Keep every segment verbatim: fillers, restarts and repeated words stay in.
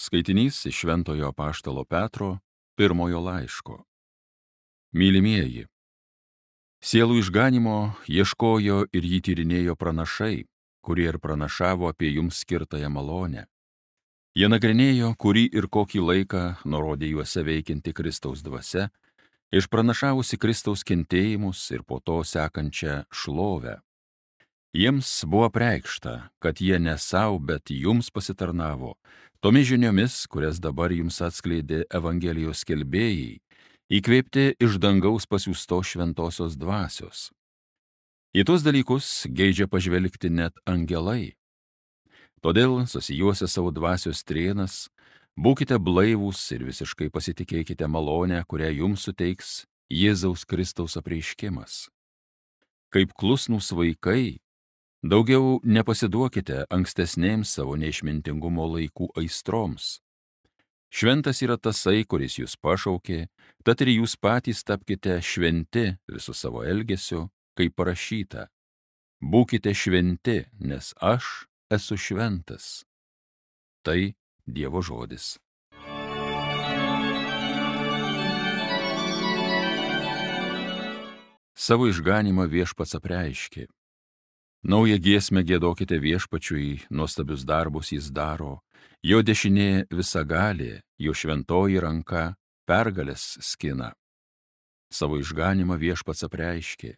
Skaitinys iš Šventojo apaštalo Petro pirmojo laiško. Mylimieji, sielų išganimo ieškojo ir jį tyrinėjo pranašai, kurie ir pranašavo apie jums skirtąją malonę. Jie nagrinėjo, kurį ir kokį laiką nurodė juose veikianti Kristaus dvasia, išpranašavusi Kristaus kentėjimus ir po to sekančią šlovę. Jiems buvo apreikšta, kad jie ne savo, bet jums pasitarnavo, tomis žiniomis, kurias dabar jums atskleidė Evangelijos skelbėjai, įkvėpti iš dangaus pasiųsto šventosios dvasios. Į tuos dalykus geidžia pažvelgti net angelai. Todėl, susijuosę savo dvasios trėnas, būkite blaivūs ir visiškai pasitikėkite malonę, kurią jums suteiks Jėzaus Kristaus apreiškimas. Kaip klusnūs vaikai, daugiau nepasiduokite ankstesnėms savo neišmintingumo laikų aistroms. Šventas yra tasai, kuris jūs pašaukė, tad ir jūs patys tapkite šventi visų savo elgesiu, kaip parašyta. Būkite šventi, nes aš esu šventas. Tai Dievo žodis. Savo išganimą viešpats apreiškė. Naują giesmę giedokite viešpačiui, nuostabius darbus jis daro, jo dešinė visagalė, jo šventoji ranka pergalės skina. Savo išganimą viešpats apreiškė.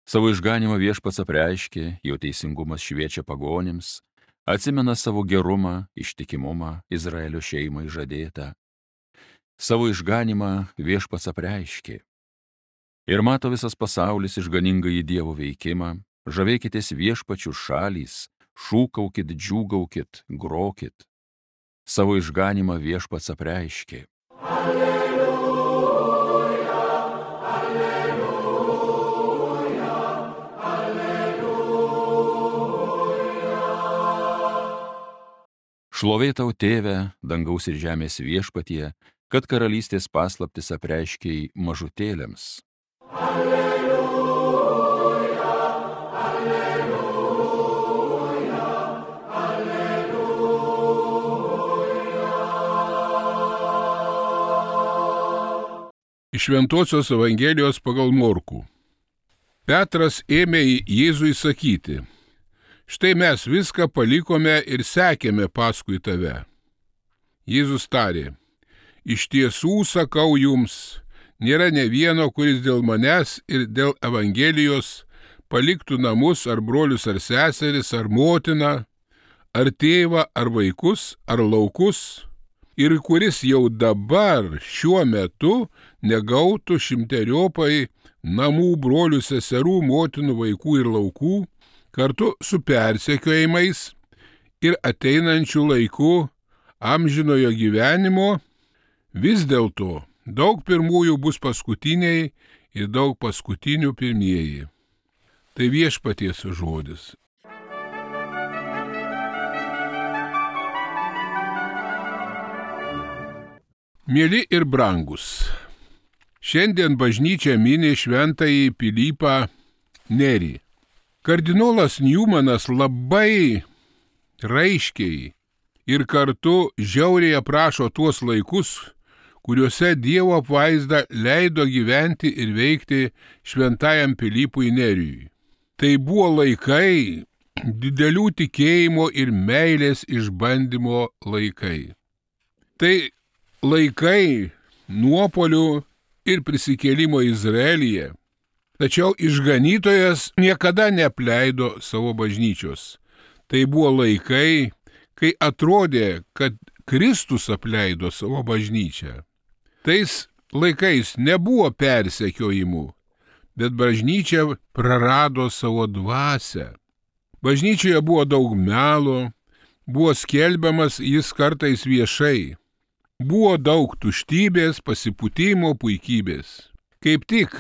Savo išganimą viešpats apreiškė, jo teisingumas šviečia pagonims, atsimena savo gerumą, ištikimumą Izraelio šeimai žadėtą. Savo išganimą viešpats apreiškė. Ir mato visas pasaulis išganingąjį Dievo veikimą, žavėkitės viešpačių šalys, šūkaukit, džiūgaukit, grokit. Savo išganimą viešpats apreiškė. Alleluja, alleluja, alleluja. Šlovė tau, Tėve, dangaus ir žemės viešpatie, kad karalystės paslaptis apreiškei mažutėliams. Alleluja, alleluja, alleluja. Iš Šventosios Evangelijos pagal Morkų. Petras ėmė Jėzui sakyti: štai mes viską palikome ir sekėme paskui tave. Jėzus tarė: iš tiesų sakau jums, nėra ne vieno, kuris dėl manęs ir dėl Evangelijos paliktų namus ar brolius ar seseris ar motiną, ar tėvą ar vaikus ar laukus, ir kuris jau dabar šiuo metu negautų šimteriopai namų, brolių, seserų, motinų, vaikų ir laukų, kartu su persekiojimais ir ateinančiu laiku amžinojo gyvenimo. Vis dėlto daug pirmųjų bus paskutiniai ir daug paskutinių pirmieji. Tai viešpaties žodis. Mieli ir brangus, šiandien bažnyčia mini šventąjį Pilypą Nerį. Kardinolas Newmanas labai raiškiai ir kartu žiauriai aprašo tuos laikus, kuriuose Dievo apvaizda leido gyventi ir veikti šventajam Pilypui Neriui. Tai buvo laikai didelių tikėjimo ir meilės išbandymo laikai. Tai laikai nuopuolių ir prisikėlimo Izraelyje. Tačiau išganytojas niekada neapleido savo bažnyčios. Tai buvo laikai, kai atrodė, kad Kristus apleido savo bažnyčią. Tais laikais nebuvo persekiojimų, bet bažnyčia prarado savo dvasią. Bažnyčioje buvo daug melo, buvo skelbiamas jis kartais viešai. Buvo daug tuštybės, pasipūtimo, puikybės. Kaip tik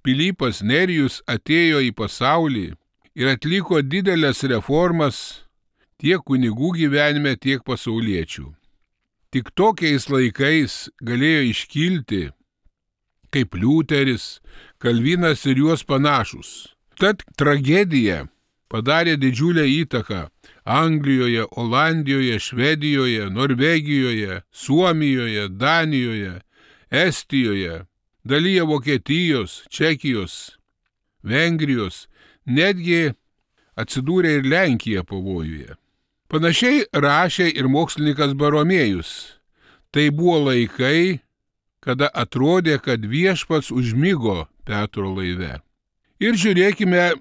Pilypas Nerijus atėjo į pasaulį ir atliko didelės reformas tiek kunigų gyvenime, tiek pasauliečių. Tik tokiais laikais galėjo iškilti kaip Liuteris, Kalvinas ir juos panašus. Tad tragedija padarė didžiulę įtaką Anglijoje, Olandijoje, Švedijoje, Norvegijoje, Suomijoje, Danijoje, Estijoje, dalyje Vokietijos, Čekijos, Vengrijos, netgi atsidūrė ir Lenkija pavojuje. Panašiai rašė ir mokslininkas Baromėjus. Tai buvo laikai, kada atrodė, kad viešpats užmigo Petro laive. Ir žiūrėkime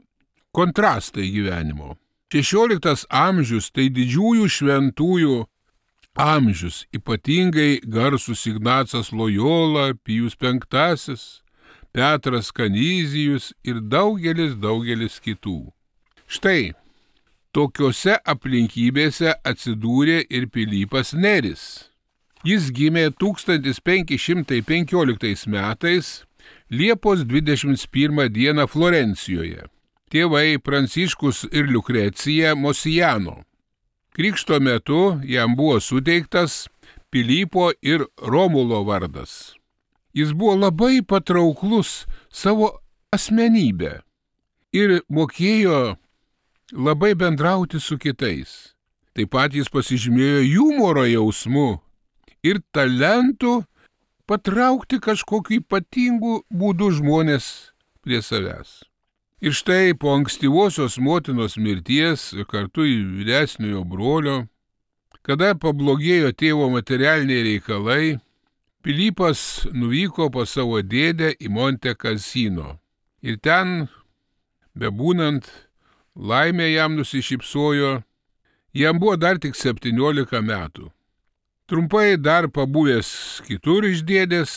kontrastai gyvenimo. šešioliktas amžius tai didžiųjų šventųjų amžius, ypatingai garsus Ignacas Lojola, Pijus penktasis, Petras Kanizijus ir daugelis, daugelis kitų. Štai, tokiose aplinkybėse atsidūrė ir Pilypas Neris. Jis gimė tūkstantis penki šimtai penkioliktais metais Liepos dvidešimt pirmą dieną Florencijoje. Tėvai Pranciškus ir Liukrecija Mosijano. Krikšto metu jam buvo suteiktas Pilypo ir Romulo vardas. Jis buvo labai patrauklus savo asmenybę ir mokėjo labai bendrauti su kitais. Taip pat jis pasižymėjo humoro jausmu ir talentu patraukti kažkokiu ypatingu būdu žmonės prie savęs. Ir štai po ankstyvosios motinos mirties kartu į vyresniojo brolio, kada pablogėjo tėvo materialiniai reikalai, Pilypas nuvyko pas savo dėdę į Monte Cassino. Ir ten, bebūnant, laimė jam nusišypsojo, jam buvo dar tik septyniolika metų. Trumpai dar pabuvęs kitur iš dėdės,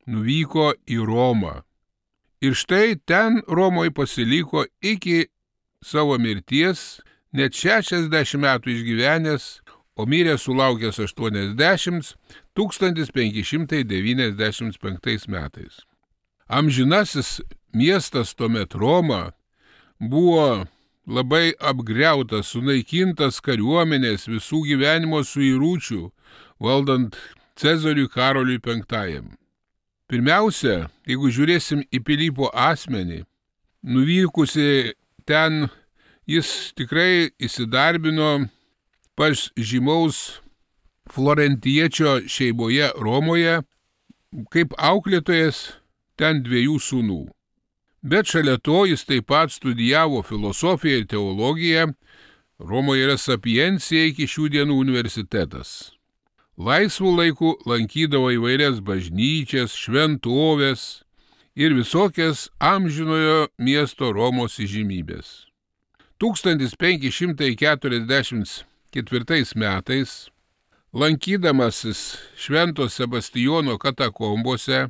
nuvyko į Romą. Ir štai ten Romoje pasiliko iki savo mirties, net šešiasdešimt metų išgyvenęs, o mirė sulaukęs aštuoniasdešimt, tūkstantis penki šimtai devyniasdešimt penktais metais. Amžinasis miestas tuomet Roma buvo labai apgriautas, sunaikintas kariuomenės visų gyvenimo suiručių, valdant Cezariui Karoliui penktajam. Pirmiausia, jeigu žiūrėsim į Pilypo asmenį, nuvykusi ten, jis tikrai įsidarbino pas žymaus florentiečio šeimoje Romoje, kaip auklėtojas ten dviejų sūnų. Bet šalia to jis taip pat studijavo filosofiją ir teologiją, Romoje yra Sapiencija iki šių dienų universitetas. Laisvų laikų lankydavo įvairias bažnyčias, šventovės ir visokias amžinojo miesto Romos įžymybės. tūkstantis penki šimtai keturiasdešimt ketvirtais metais, lankydamasis Švento Sebastijono katakombose,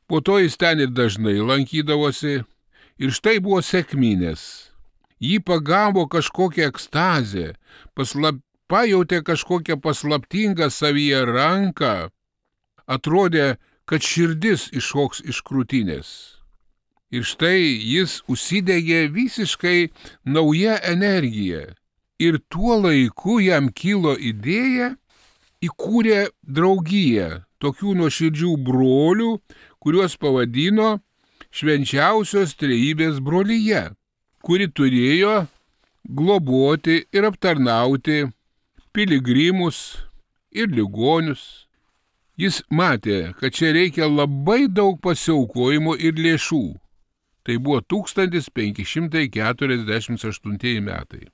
po to jis ten ir dažnai lankydavosi, ir štai buvo sekminės. Jį pagavo kažkokią ekstazę, paslap, pajautė kažkokią paslaptingą savyje ranką, atrodė, kad širdis iššoks iš krūtinės. Ir štai jis užsidegė visiškai nauja energija. Ir tuo laiku jam kilo idėja, įkūrė draugiją tokių nuoširdžių brolių, kuriuos pavadino Švenčiausios Trejybės brolija, kuri turėjo globoti ir aptarnauti piligrimus ir ligonius. Jis matė, kad čia reikia labai daug pasiaukojimo ir lėšų. Tai buvo tūkstantis penki šimtai keturiasdešimt aštuntieji metai.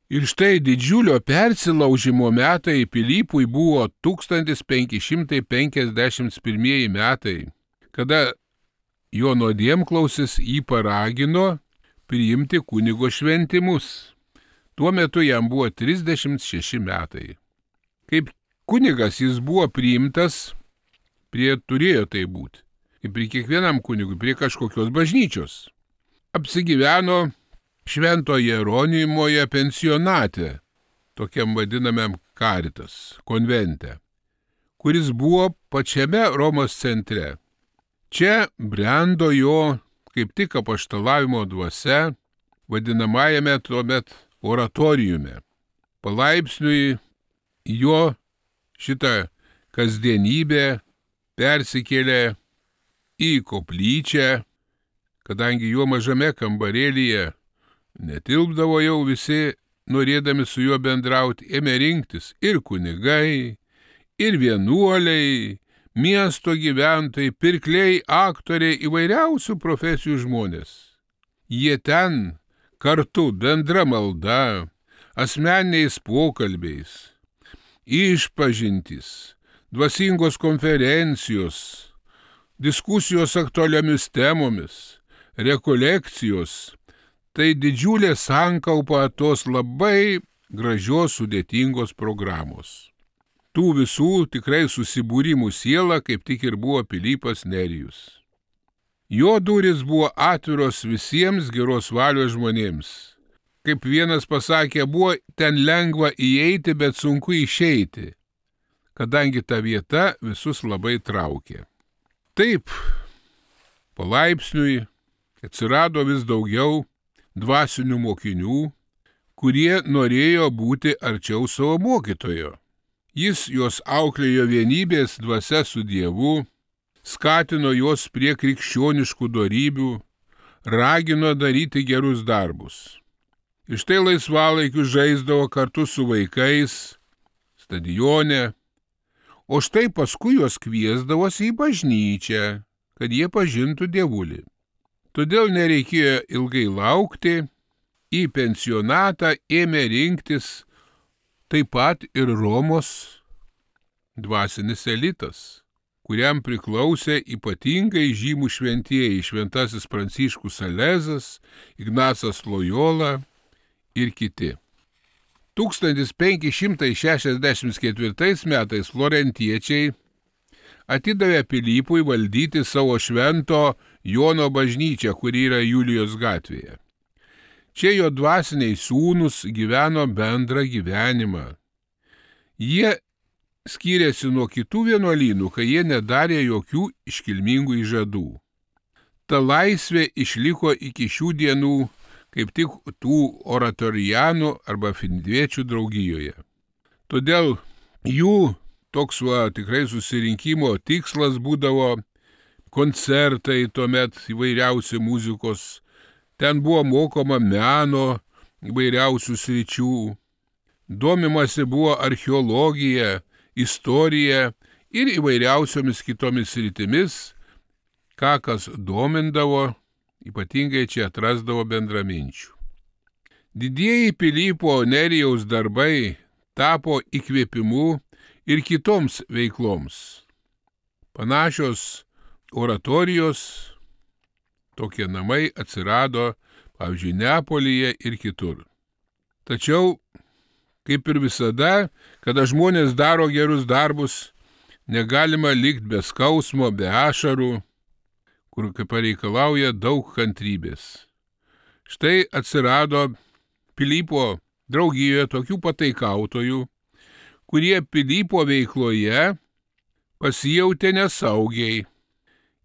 Ir štai didžiulio persilaužimo metai Pilypui buvo tūkstantis penki šimtai penkiasdešimt pirmieji metai, kada jo nuodėmklausis jį paragino priimti kunigo šventimus. Tuo metu jam buvo trisdešimt šeši metai. Kaip kunigas jis buvo priimtas, prie turėjo tai būti, kaip prie kiekvienam kunigui, prie kažkokios bažnyčios. Apsigyveno Švento Jeronimoje pensionate, tokiam vadinamam Caritas konvente, kuris buvo pačiame Romos centre. Čia brendo jo kaip tik apaštalavimo dvasia, vadinamajame tuomet oratoriume. Palaipsniui jo šitą kasdienybę persikėlė į koplyčią, kadangi jo mažame kambarėlyje Netilpdavo jau visi, norėdami su juo bendrauti, ėmė rinktis ir kunigai, ir vienuoliai, miesto gyventojai, pirkliai, aktoriai, įvairiausių profesijų žmonės. Jie ten kartu bendra malda, asmeniniais pokalbiais, išpažintys, dvasingos konferencijos, diskusijos aktualiomis temomis, rekolekcijos, tai didžiulė sankaupa tos labai gražios sudėtingos programos. Tų visų tikrai susibūrimų siela kaip tik ir buvo Pilypas Nerijus. Jo durys buvo atviros visiems geros valios žmonėms. Kaip vienas pasakė, buvo ten lengva įeiti, bet sunku išeiti, kadangi ta vieta visus labai traukė. Taip, palaipsniui atsirado vis daugiau dvasinių mokinių, kurie norėjo būti arčiau savo mokytojo. Jis juos auklėjo vienybės dvasia su Dievu, skatino juos prie krikščioniškų dorybių, ragino daryti gerus darbus. Iš tai laisvalaikiu žaisdavo kartu su vaikais, stadione, o štai paskui juos kviesdavosi į bažnyčią, kad jie pažintų Dievulį. Todėl nereikėjo ilgai laukti, į pensionatą ėmė rinktis taip pat ir Romos dvasinis elitas, kuriam priklausė ypatingai žymų šventieji šventasis Pranciškus Salezas, Ignacas Lojola ir kiti. tūkstantis penki šimtai šešiasdešimt ketvirtais metais florentiečiai atidavė Pilypui valdyti savo švento Jono bažnyčią, kuri yra Julijos gatvėje. Čia jo dvasiniai sūnūs gyveno bendrą gyvenimą. Jie skyrėsi nuo kitų vienuolynų, kai jie nedarė jokių iškilmingų įžadų. Ta laisvė išliko iki šių dienų kaip tik tų oratorijanų arba findviečių draugijoje. Todėl jų toks va, tikrai susirinkimo tikslas būdavo koncertai, tuomet įvairiausi muzikos, ten buvo mokoma meno įvairiausių sričių, domimasi buvo archeologija, istorija ir įvairiausiomis kitomis sritimis, ką kas domindavo, ypatingai čia atrasdavo bendraminčių. Didieji Pilypo Nerijaus darbai tapo įkvėpimu ir kitoms veikloms. Panašios oratorijos, tokie namai atsirado, pavyzdžiui, Neapolyje ir kitur. Tačiau, kaip ir visada, kada žmonės daro gerus darbus, negalima likti be skausmo, be ašarų, kur kaip pareikalauja daug kantrybės. Štai atsirado Pilypo draugijoje tokių pataikautojų, kurie Pilypo veikloje pasijautė nesaugiai.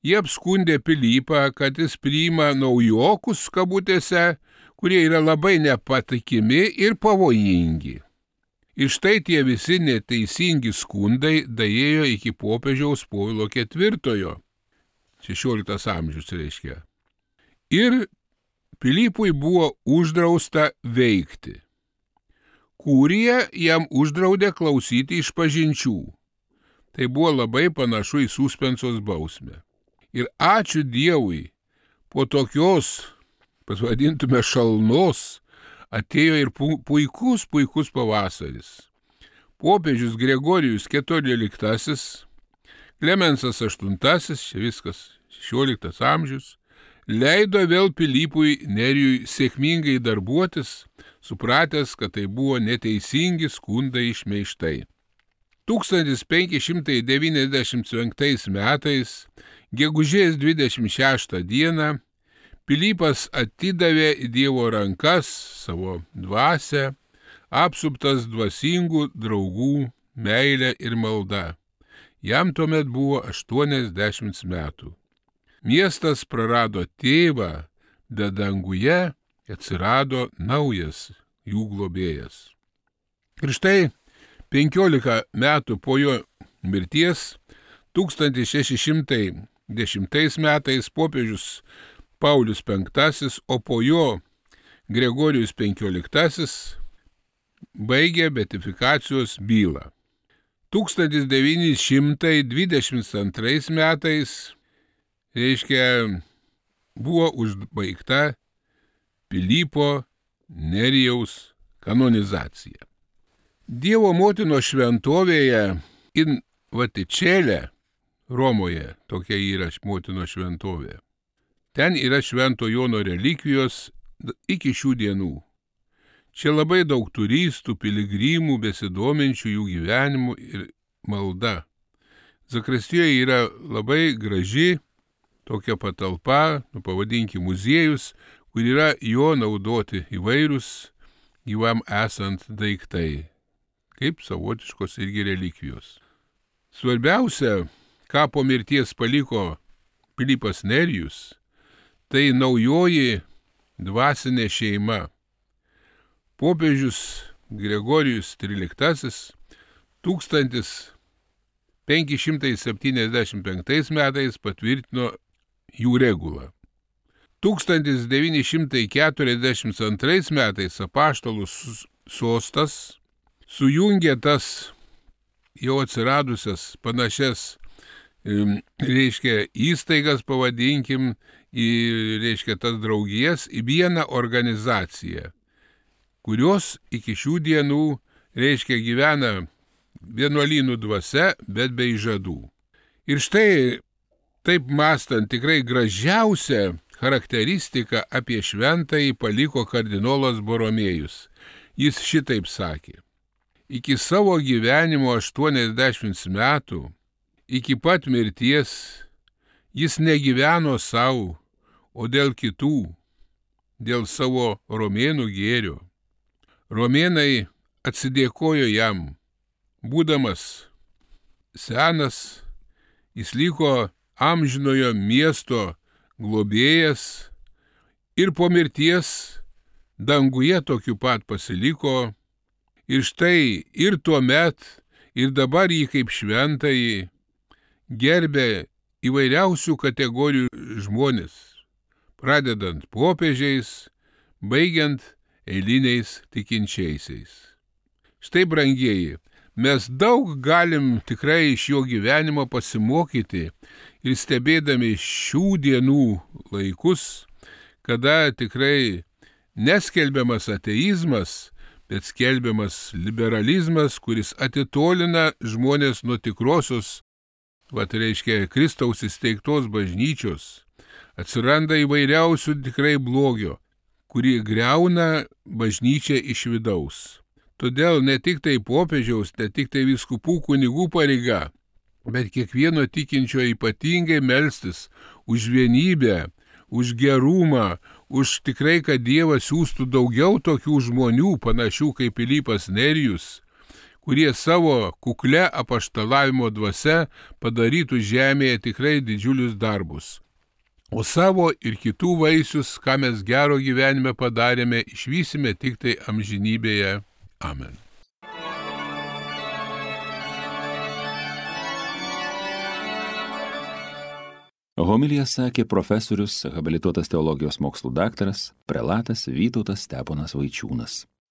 Jie apskundė Pilypą, kad jis priima naujokus kabutėse, kurie yra labai nepatikimi ir pavojingi. Ir štai tie visi neteisingi skundai daėjo iki popiežiaus Povilo ketvirtojo, šešioliktas amžius reiškia. Ir Pilypui buvo uždrausta veikti. Kurija jam uždraudė klausyti išpažinčių. Tai buvo labai panašu į suspensos bausmę. Ir ačiū Dievui, po tokios, pasvadintume šalnos, atėjo ir puikus, puikus pavasaris. Popiežius Gregorijus keturioliktasis, Klemensas aštuntasis, čia viskas šešioliktas amžius, leido vėl Pilypui Nerijui sėkmingai darbuotis, supratęs, kad tai buvo neteisingi skundai išmeištai. tūkstantis penki šimtai devyniasdešimt penktais metais, gegužės dvidešimt šeštą dieną, Pilypas atidavė į Dievo rankas savo dvasią, apsuptas dvasingų draugų, meilę ir maldą. Jam tuomet buvo aštuoniasdešimt metų. Miestas prarado tėvą, bet danguje atsirado naujas jų globėjas. Ir štai penkiolika metų po jo mirties, tūkstantis šeši šimtai dešimtais metais popiežius Paulius penktasis, o po jo Gregorijus penkioliktasis baigė beatifikacijos bylą. tūkstantis devyni šimtai dvidešimt antrais metais, reiškia, buvo užbaigta Pilypo Nerijaus kanonizacija. Dievo motinos šventovėje in Vatičelė, Romoje, tokia yra motinos šventovė. Ten yra Švento Jono relikvijos iki šių dienų. Čia labai daug turistų, piligrimų, besidominčių jų gyvenimu ir malda. Zakristijoje yra labai graži tokia patalpa, nu, pavadinkim muziejus, kur yra jo naudoti įvairūs gyvam esant daiktai, kaip savotiškos irgi relikvijos. Svarbiausia, ką po mirties paliko Pilypas Nerijus, tai naujoji dvasinė šeima. Popiežius Gregorijus tryliktasis tūkstantis penki šimtai septyniasdešimt penktais metais patvirtino jų regulą. tūkstantis devyni šimtai keturiasdešimt antrais metais apaštalų sostas sujungė tas jau atsiradusias panašias, reiškia, įstaigas, pavadinkim, į, reiškia, tas draugijas į vieną organizaciją, kurios iki šių dienų, reiškia, gyvena vienuolynų dvasia, bet be įžadų. Ir štai, taip mąstant, tikrai gražiausia charakteristika apie šventąjį paliko kardinolas Boromėjus. Jis šitaip sakė: iki savo gyvenimo aštuoniasdešimt metų, iki pat mirties, jis negyveno savo, o dėl kitų, dėl savo romėnų gėrio. Romėnai atsidėkojo jam. Būdamas senas, jis liko amžinojo miesto globėjas ir po mirties danguje tokiu pat pasiliko. Ir štai ir tuomet, ir dabar jį kaip šventąjį gerbė įvairiausių kategorijų žmonės, pradedant popiežiais, baigiant eiliniais tikinčiaisiais. Štai, brangieji, mes daug galim tikrai iš jo gyvenimo pasimokyti ir stebėdami šių dienų laikus, kada tikrai neskelbiamas ateizmas, bet skelbiamas liberalizmas, kuris atitolina žmonės nuo tikrosios, vat reiškia, Kristaus įsteigtos bažnyčios. Atsiranda įvairiausių tikrai blogio, kurį griauna bažnyčią iš vidaus. Todėl ne tik tai popiežiaus, ne tik tai vyskupų kunigų pareiga, bet kiekvieno tikinčio ypatingai melstis už vienybę, už gerumą, už tikrai, kad Dievas siūstų daugiau tokių žmonių, panašių kaip Pilypas Nerijus, kurie savo kukle apaštalavimo dvasia padarytų žemėje tikrai didžiulius darbus. O savo ir kitų vaisius, ką mes gero gyvenime padarėme, išvysime tik tai amžinybėje. Amen. Homiliją sakė profesorius, habilituotas teologijos mokslų daktaras, prelatas Vytautas Steponas Vaičiūnas.